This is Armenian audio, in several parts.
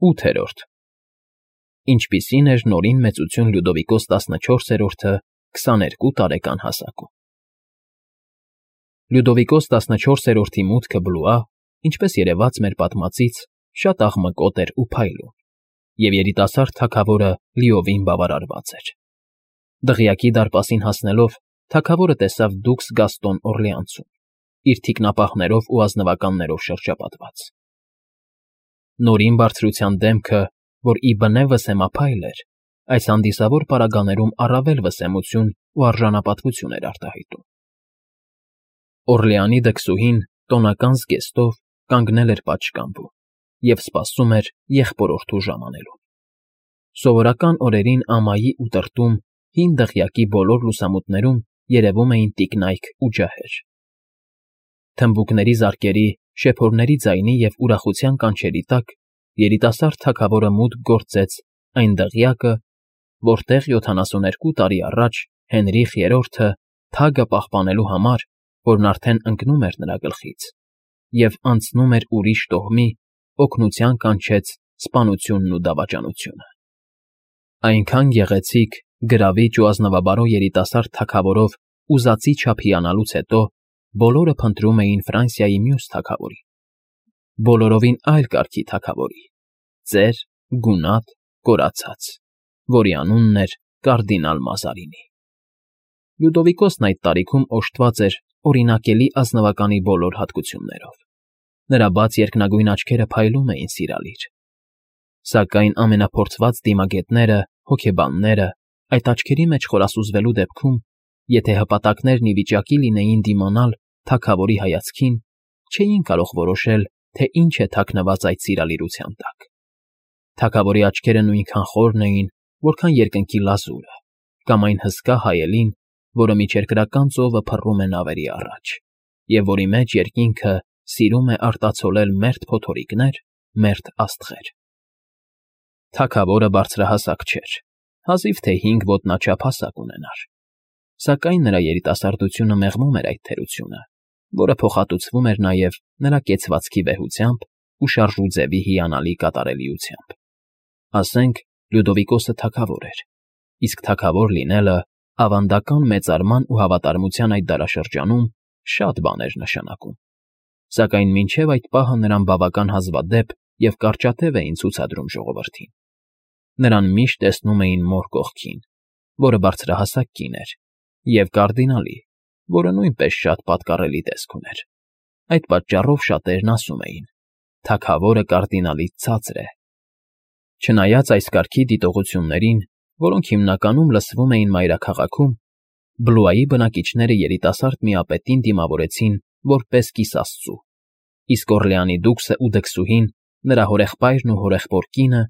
8-րդ Ինչպիսին էր Նորին մեծություն Լյուդովիկոս 14-րդը 22 տարեկան հասակում։ Լյուդովիկոս 14-րդի մուտքը Բլուա, ինչպես երևաց մեր պատմածից, շատ աղմկոտ էր ու փայլուն, և երիտասարդ թագավորը լիովին բավարարված էր։ Դղյակի դարպասին հասնելով, թագավորը տեսավ դուքս Գաստոն Օրլեանցում, իր թիկնապահներով ու ազնվականներով շրջապատված։ Նորին բարձրության դեմքը, որ ի բնե վսեմափայլ էր, այս հանդիսավոր պարագաներում առավել վսեմություն ու արժանապատվություն էր արտահայտում։ Օրլեանի դքսուհին տոնական զգեստով կանգնել էր պատշգամբում և սպասում էր եղբորորդու ժամանելուն։ Սովորական օրերին ամայի ու տրտում հին դղյակի բոլոր լուսամուտներում երևում էին տիկնայք ու ջահեր։ Թմբուկների զարկերի, շեփորների ձայնի և ուրախության կանչերի տակ երիտասարդ թագավորը մուտք գործեց այն դղյակը, որտեղ 72 տարի առաջ Հենրիխ III թագը պահպանելու համար, որն արդեն ընկնում էր նրա գլխից, և անցնում էր ուրիշ տոհմի, օգնության կանչեց սպանությունն ու դավաճանությունը։ Այնքան գեղեցիկ, գրավիչ ու ազնվաբարո երիտասարդ թագավորով ուզածի չափ հիանալուց հետո բոլորը փնտրում էին Ֆրանսիայի մյուս թագավորին, բոլորովին այլ կարգի թագավորի, ծեր, գունատ, կորացած, որի անունն էր կարդինալ Մազարինի։ Լյուդովիկոսն այդ տարիքում օժտված էր օրինակելի ազնվականի բոլոր հատկություններով։ Նրա բաց երկնագույն աչքերը փայլում էին սիրալիր։ Սակայն ամենափորձված դիմագետները, հոգեբանները, այդ աչքերի մեջ խորասուզվելու դեպքում, եթե հպատակներն ի վիճակի լինեին դիմանալ թագավորի հայացքին, չէին կարող որոշել, թե ինչ է թաքնված այդ սիրալիրության տակ։ Թագավորի աչքերը նույնքան խորն էին, որքան երկնքի լազուրը, կամ այն հսկա հայելին, որը միջերկրական ծովը փռում է նավերի առաջ, և որի մեջ երկինքը սիրում է արտացոլել մերթ փոթորիկներ, մերթ աստղեր։ Թագավորը բարձրահասակ չէր, հազիվ թե 5 ոտնաչափ հասակ ունենար, սակայն նրա երիտասարդությունը մեղմում էր այդ թերությունը, որը փոխհատուցվում էր նաև նրա կեցվածքի վեհությամբ ու շարժուձևի հիանալի կատարելիությամբ։ Ասենք, Լյուդովիկոսը թագավոր էր, իսկ թագավոր լինելը ավանդական մեծարման ու հավատարմության այդ դարաշրջանում շատ բան էր նշանակում, սակայն մինչև այդ պահը նրան բավական հազվադեպ և կարճատև էին ցուցադրում ժողովրդին։ Նրան միշտ տեսնում էին մոր կողքին, որը բարձրահասակ կին էր, և կարդինալի, որը նույնպես շատ պատկառելի տեսք ուներ։ Այդ պատճառով շատերն ասում էին. թագավորը կարդինալից ցածր է։ Չնայած այս կարգի դիտողություններին, որոնք հիմնականում լսվում էին մայրաքաղաքում, Բլուայի բնակիչները երիտասարդ միապետին դիմավորեցին որպես կիսաստծու, իսկ Օրլեանի դուքսը ու դքսուհին, նրա հորեղբայրն ու հորեղբոր կինը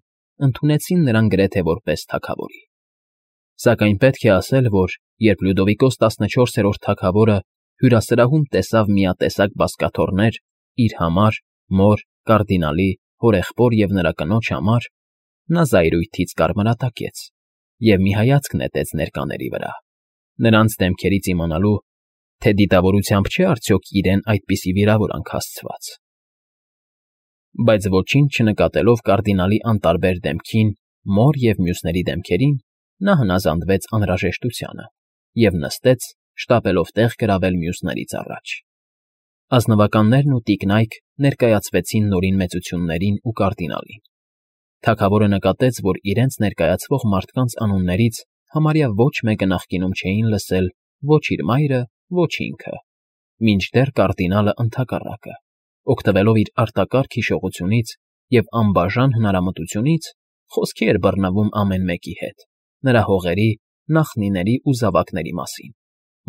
ընդունեցին նրան գրեթե որպես թագավորի։ Սակայն պետք է ասել, որ երբ Լյուդովիկոս 14-րդ թագավորը հյուրասրահում տեսավ միատեսակ բազկաթոռներ իր համար, մոր, կարդինալի, հորեղբոր և նրա կնոջ համար, նա զայրույթից կարմրատակեց և մի հայացք նետեց ներկաների վրա, նրանց դեմքերից իմանալու, թե դիտավորությամբ չէ արդյոք իրեն այդպիսի վիրավորանք հասցված։ Բայց ոչինչ չնկատելով կարդինալի անտարբեր դեմքին, մոր և մյուսների դեմքերին, նա հնազանդվեց անհրաժեշտությանը և նստեց, շտապելով տեղ գրավել մյուսներից առաջ։ Ազնվականներն ու տիկնայք ներկայացվեցին Նորին մեծություններին ու կարդինալին։ Թագավորը նկատեց, որ իրենց ներկայացվող մարդկանց անուններից համարյա ոչ մեկը նախկինում չէին լսել ոչ իր մայրը, ոչ ինքը, մինչդեռ կարդինալը ընդհակառակը, օգտվելով իր արտակարգ հիշողությունից և անբաժան հնարամտությունից, խոսքի էր բռնվում ամեն մեկի հետ, նրա հողերի, նախնիների ու զավակների մասին,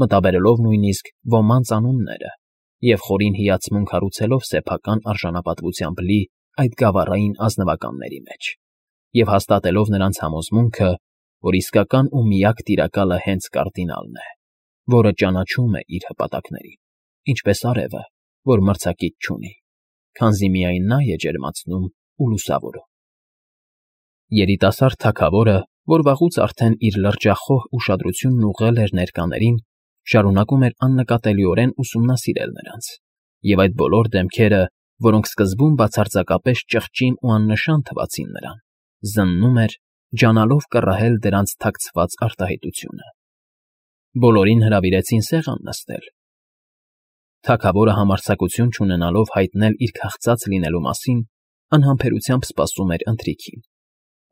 մտաբերելով նույնիսկ ոմանց անունները և խորին հիացմունք հարուցելով սեփական արժանապատվությամբ լի այդ գավառային ազնվականների մեջ, և հաստատելով նրանց համոզմունքը, որ իսկական ու միակ տիրակալը հենց կարդինալն է, որը ճանաչում է իր հպատակներին, ինչպես արևը, որ մրցակից չունի, քանզի միայն նա է ջերմացնում ու լուսավորում։ Երիտասարդ թագավորը, որ վաղուց արդեն իր լրջախոհ ուշադրությունն ուղղել էր ներկաներին, շարունակում էր աննկատելիորեն ուսումնասիրել նրանց, և այդ բոլոր դեմքերը որոնք սկզբում բացարձակապես ճղճին ու աննշան թվացին նրան, զննում էր, ջանալով կռահել դրանց թաքցված արտահայտությունը։ Բոլորին հրավիրեցին սեղան նստել։ Թագավորը համարձակություն չունենալով հայտնել իր քաղցած լինելու մասին, անհամբերությամբ սպասում էր ընթրիքին։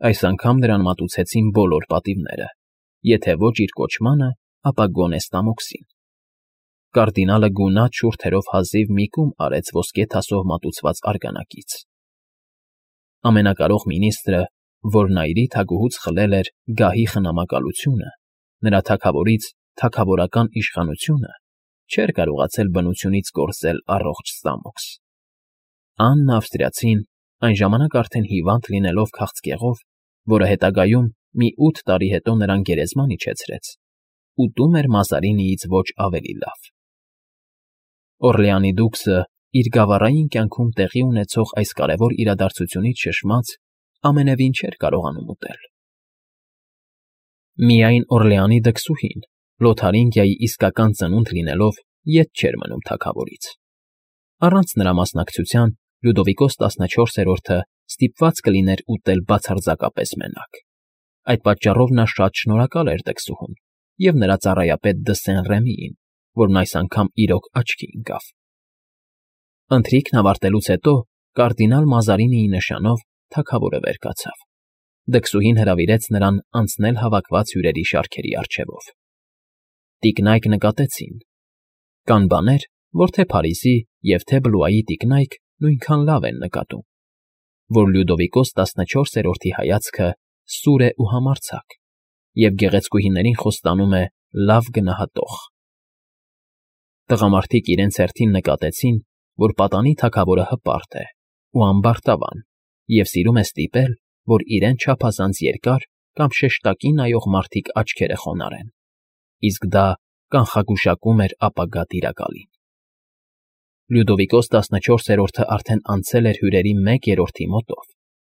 Այս անգամ նրան մատուցեցին բոլոր պատիվները, եթե ոչ իր կոչմանը, ապա գոնե ստամոքսին։ Կարդինալը գունատ շուրթերով հազիվ մի կում արեց ոսկե թասով մատուցված արգանակից։ Ամենակարող մինիստրը, որ նայրի թագուհուց խլել էր գահի խնամակալությունը, նրա թագավորից թագավորական իշխանությունը, չէր կարողացել բնությունից կորզել առողջ ստամոքս։ Աննա Ավստրիացին, այն ժամանակ արդեն հիվանդ լինելով քաղցկեղով, որը հետագայում մի 8 տարի հետո նրան գերեզման իջեցրեց, ուտում էր Մազարինիից ոչ ավելի լավ։ Օրլեանի դուքսը իր գավառային կյանքում տեղի ունեցող այս կարևոր իրադարձությունից շշմած ամենևին չէր կարողանում ուտել։ Միայն Օրլեանի դքսուհին, Լոթարինգիայի իսկական ծնունդ լինելով, ետ չէր մնում թագավորից։ Առանց նրա մասնակցության Լյուդովիկոս 14-րդը ստիպված կլիներ ուտել բացարձակապես մենակ։ Այդ պատճառով նա շատ շնորհակալ էր դքսուհուն և նրա ծառայապետ Դը Սեն֊Ռեմիին, որն այս անգամ իրոք աչքի ընկավ։ Ընթրիքն ավարտելուց հետո կարդինալ Մազարինիի նշանով թագավորը վեր կացավ։ Դքսուհին հրավիրեց նրան անցնել հավաքված հյուրերի շարքերի առջևով։ Տիկնայք նկատեցին։ Կան բաներ, որ թե Փարիզի և թե Բլուայի տիկնայք նույնքան լավ են նկատում, որ Լյուդովիկոս 14-րդի հայացքը սուր է ու համարձակ, և գեղեցկուհիներին խոստանում է լավ գնահատող։ Տղամարդիկ իրենց հերթին նկատեցին, որ պատանի թագավորը հպարտ է ու ամբարտավան և սիրում է ստիպել, որ իրեն չափազանց երկար կամ շեշտակի նայող մարդիկ աչքերը խոնարհեն, իսկ դա կանխագուշակում էր ապագա տիրակալին։ Լյուդովիկոս 14-րդը արդեն անցել էր հյուրերի 1/3-ի մոտով,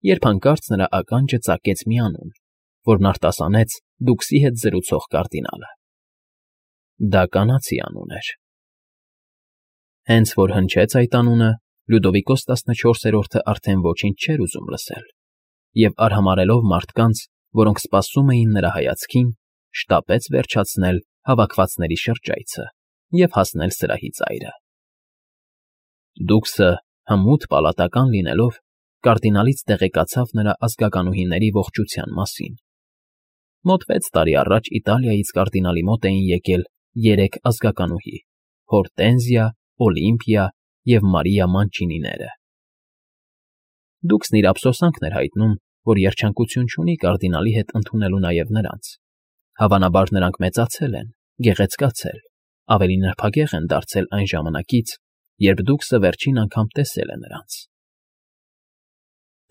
երբ հանկարծ նրա ականջը ծակեց մի անուն, որն արտասանեց դուքսի հետ զրուցող կարդինալը։ Դա կանացի անուն էր։ Հենց որ հնչեց այդ անունը, Լյուդովիկոս 14-րդը արդեն ոչինչ չէր ուզում լսել, և արհամարհելով մարդկանց, որոնք սպասում էին նրա հայացքին, շտապեց վերջացնել հավաքվածների շրջայցը և հասնել սրահի ծայրը։ Դուքսը, հմուտ պալատական լինելով, կարդինալից տեղեկացավ նրա ազգականուհիների ողջության մասին։ Մոտ 6 տարի առաջ Իտալիայից կարդինալի մոտ էին եկել 3 ազգականուհի՝ Հորտենզիա, Օլիմպիա և Մարիա Մանչինիները։ Դուքսն իր ափսոսանքն էր հայտնում, որ երջանկություն չունի կարդինալի հետ ընդունելու նաև նրանց։ Հավանաբար նրանք մեծացել են, գեղեցկացել, ավելի նրբագեղ են դարձել այն ժամանակից, երբ դուքսը վերջին անգամ տեսել է նրանց։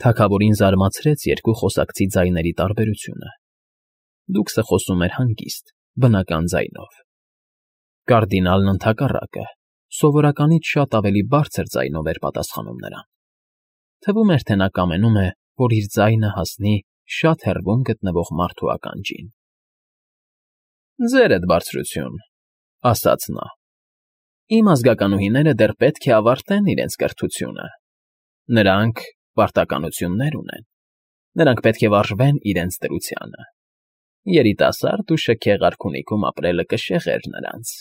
Թագավորին զարմացրեց երկու խոսակցի ձայների տարբերությունը։ Դուքսը խոսում էր հանգիստ, բնական ձայնով։ Կարդինալն ընդհակառակը, սովորականից շատ ավելի բարձր ձայնով էր պատասխանում նրան։ Թվում էր, թե նա կամենում է, որ իր ձայնը հասնի շատ հեռվում գտնվող մարդու ականջին։ «Ձերդ բարձրություն», ասաց նա, «իմ ազգականուհիները դեռ պետք է ավարտեն իրենց կրթությունը։ Նրանք պարտականություններ ունեն, նրանք պետք է վարժվեն իրենց դրությանը։ Երիտասարդ ու շքեղ արքունիքում ապրելը կշեղեր նրանց»։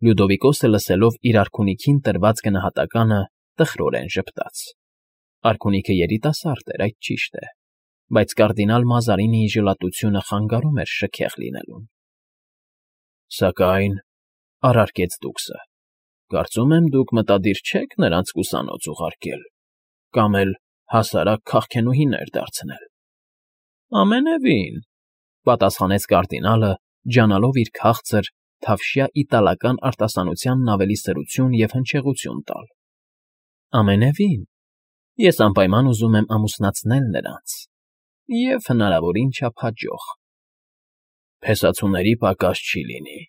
Լյուդովիկոսը լսելով իր արքունիքին տրված գնահատականը տխրորեն ժպտաց։ Արքունիքը երիտասարդ էր, այդ ճիշտ է, բայց կարդինալ Մազարինիի ժլատությունը խանգարում էր շքեղ լինելուն։ «Սակայն,֊ առարկեց դուքսը,֊ կարծում եմ դուք մտադիր չեք նրանց ուսանոց ուղարկել կամ էլ հասարակ քաղքենուհիներ դարձնել»։ «Ամենևին,֊ պատասխանեց կարդինալը, ջանալով իր քաղցր, թավշյա իտալական արտասանությանն ավելի սրություն և հնչեղություն տալ։ Ամենևին, ես անպայման ուզում եմ ամուսնացնել նրանց և հնարավորին չափ հաջող»։ «Փեսացուների պակաս չի լինի,֊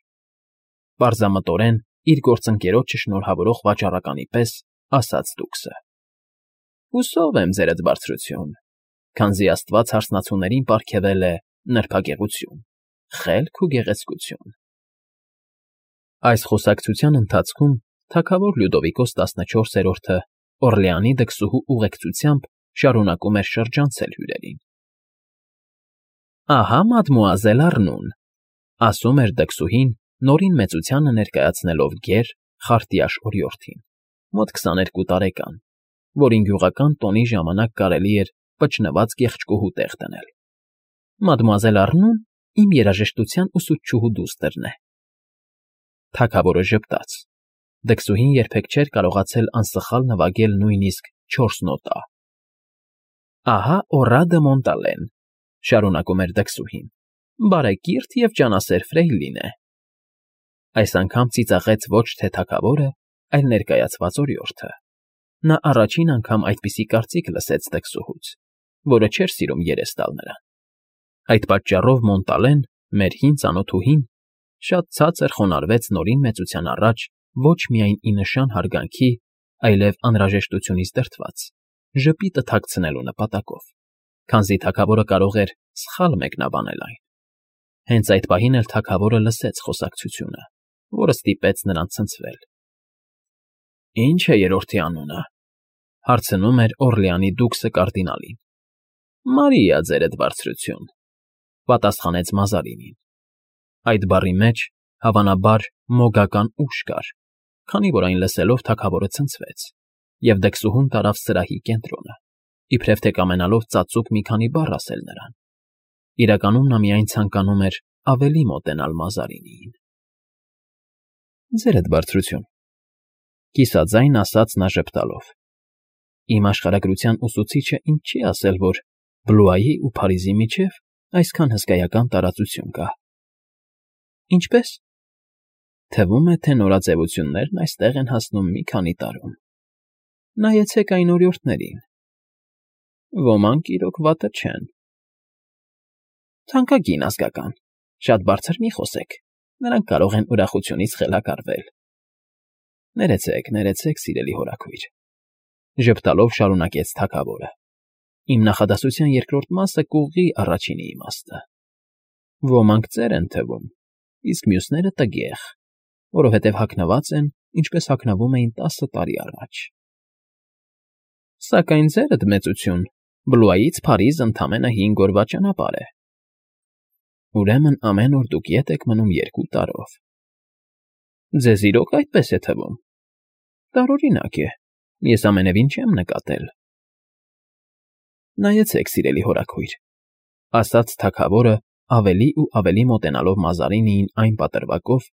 պարզամտորեն իր գործընկերոջը շնորհավորող վաճառականի պես ասաց դուքսը։ «Հուսով եմ, ձերդ բարձրություն, քանզի աստված հարսնացուներին պարգևել է նրբագեղություն, խելք ու գեղեցկություն»։ Այս խոսակցության ընթացքում թագավոր Լյուդովիկոս 14-րդը Օրլեանի դքսուհու ուղեկցությամբ շարունակում էր շրջանցել հյուրերին։ «Ահա մադմուազել Առնուն», ասում էր դքսուհին, նորին մեծությանը ներկայացնելով գեր, խարտյաշ օրիորդին, մոտ 22 տարեկան, որին գյուղական տոնի ժամանակ կարելի էր պճնված գեղեցկուհու տեղ դնել։ «Մադմուազել Առնուն իմ երաժշտության ուսուցչուհու դուստրն է»։ Թագավորը ժպտաց։ Դքսուհին երբեք չէր կարողացել անսխալ նվագել նույնիսկ 4 նոտա։ «Ահա Օռադը Մոնտալեն», շարունակում էր դքսուհին, բարեկիրթ և ջանասեր ֆրեյլին է։ Այս անգամ ծիծաղեց ոչ թե թագավորը, այլ ներկայացված օրիորդը։ Նա առաջին անգամ այդպիսի կարծիք լսեց դքսուհուց, որը չէր սիրում երես տալ նրան։ Այդ պատճառով Մոնտալեն, մեր հին ծանոթուհին, շատ ցածր խոնարհվեց նորին մեծության առաջ ոչ միայն ի նշան հարգանքի, այլև անհրաժեշտությունից դրդված, ժպիտը թաքցնելու նպատակով, քանզի թագավորը կարող էր սխալ մեկնաբանել այն։ Հենց այդ պահին էլ թագավորը լսեց խոսակցությունը, որը ստիպեց նրան ցնցվել։ «Ինչ է երրորդի անունը», հարցնում էր Օրլեանի դուքսը կարդինալին։ «Մարիա, ձերդ բարձրություն», պատասխանեց Մազարինին։ Այդ բառի մեջ, հավանաբար, մոգական ուժ կար, քանի որ այն լսելով թագավորը ցնցվեց, և դքսուհուն տարավ սրահի կենտրոնը, իբրև թե կամենալով ծածուկ մի քանի բառ ասել նրան։ Իրականում նա միայն ցանկանում էր ավելի մոտենալ Մազարինիին։ «Ձերդ բարձրություն», կիսաձայն ասաց նա ժպտալով։ «Իմ աշխարհագրության ուսուցիչը ինձ չի ասել, որ Բլուայի ու Փարիզի միջև այսքան հսկայական տարածություն կա»։ «Ինչպե՞ս»։ «Թվում է, թե նորաձևություններն այստեղ են հասնում մի քանի տարում։ Նայեցեք այն օրիորդներին։ Ոմանք իրոք վատը չեն»։ «Թանկագին ազգական, շատ բարձր մի խոսեք, նրանք կարող են ուրախությունից խելագարվել»։ Ներեցեք, ներեցեք, սիրելի հորաքույր, ժպտալով շարունակեց թագավորը։ Իմ նախադասության երկրորդ մասը կուղղի առաջինի իմաստը։ Ոմանք ծեր են թվում, իսկ մյուսները տգեղ, որովհետև հագնված են, ինչպես հագնվում էին 10 տարի առաջ։ Սակայն ձերդ մեծություն, Բլուայից Փարիզ ընդամենը 5 օրվա ճանապարհ է։ Ուրեմն ամեն օր դուք ետ եք մնում 2 տարով։ Ձեզ իրոք այդպես է թվում։ Տարօրինակ է, ես ամենևին չեմ նկատել։ Նայեցեք, սիրելի հորաքույր, ասաց թագավորը ավելի ու ավելի մոտենալով Մազարինիին այն պատրվակով,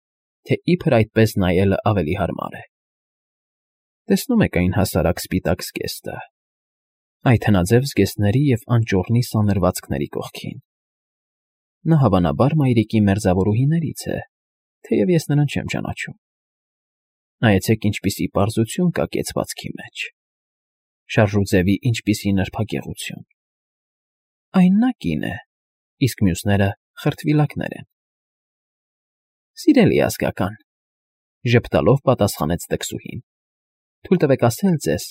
թե իբր այդպես նայելը ավելի հարմար է։ Տեսնում եք այն հասարակ սպիտակ զգեստը, այդ հնաձև զգեստների և անճոռնի սանրվածքների կողքին։ Նա հավանաբար մայրիկի մերձավորուհիներից է, թեև ես նրան չեմ ճանաչում։ Նայեցեք, ինչպիսի պարզություն կա կեցվածքի մեջ, շարժուձևի ինչպիսի նրբագեղություն։ Այն նա կին է, իսկ մյուսները խրտվիլակներ են։ Սիրելի ազգական, ժպտալով պատասխանեց դքսուհին, թույլ տվեք ասել ձեզ,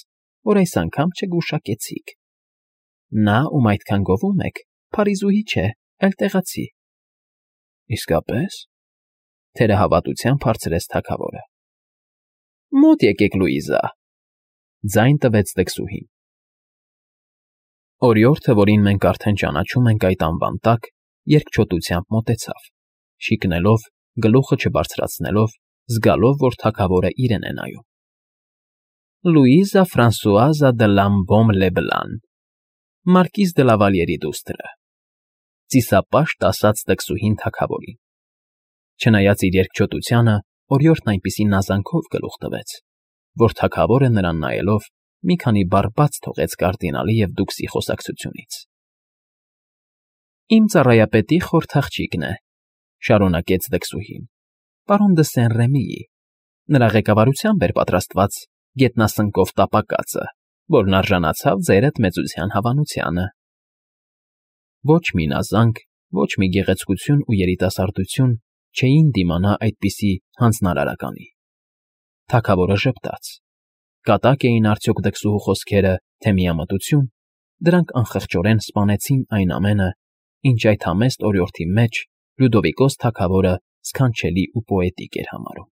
որ այս անգամ չգուշակեցիք։ Նա, ում այդքան գովում եք, Փարիզուհի չէ, այլ տեղացի։ Իսկապես, թերահավատությամբ հարցրեց թագավորը։ Մոտ եկեք, Լուիզա, ձայն տվեց դքսուհին։ Օրիորդը, որին մենք արդեն ճանաչում ենք այդ անվան տակ, երկչոտությամբ մոտեցավ, շիկնելով, գլուխը չբարձրացնելով, զգալով, որ թագավորը իրեն է նայում։ Լուիզա Ֆրանսուազա դե Լամբոմ Լեբլան, մարկիզ դե Լավալյերի դուստրը, ծիսապաշտ ասաց դքսուհին թագավորին։ Չնայած իր երկչոտությանը, օրիորդն այնպիսի նազանքով գլուխ տվեց, որ թագավորը նրան նայելով մի քանի բառ բաց թողեց կարդինալի և դուքսի խոսակցությունից։ Իմ ծառայապետի խորթ աղջիկն է, շարունակեց դքսուհին, պարոն դը Սեն֊Ռեմիի, նրա ղեկավարությամբ էր պատրաստված գետնասնկով տապակածը, որն արժանացավ ձերդ մեծության հավանությանը։ Ոչ մի նազանք, ոչ մի գեղեցկություն ու երիտասարդություն չէին դիմանա այդպիսի հանձնարարականի։ Թագավորը ժպտաց։ Կատակ էին արդյոք դքսուհու խոսքերը, թե միամտություն, դրանք անխղճորեն սպանեցին այն ամենը, ինչ այդ համեստ օրիորդի մեջ Լյուդովիկոս թագավորը սքանչելի ու պոետիկ էր համարում։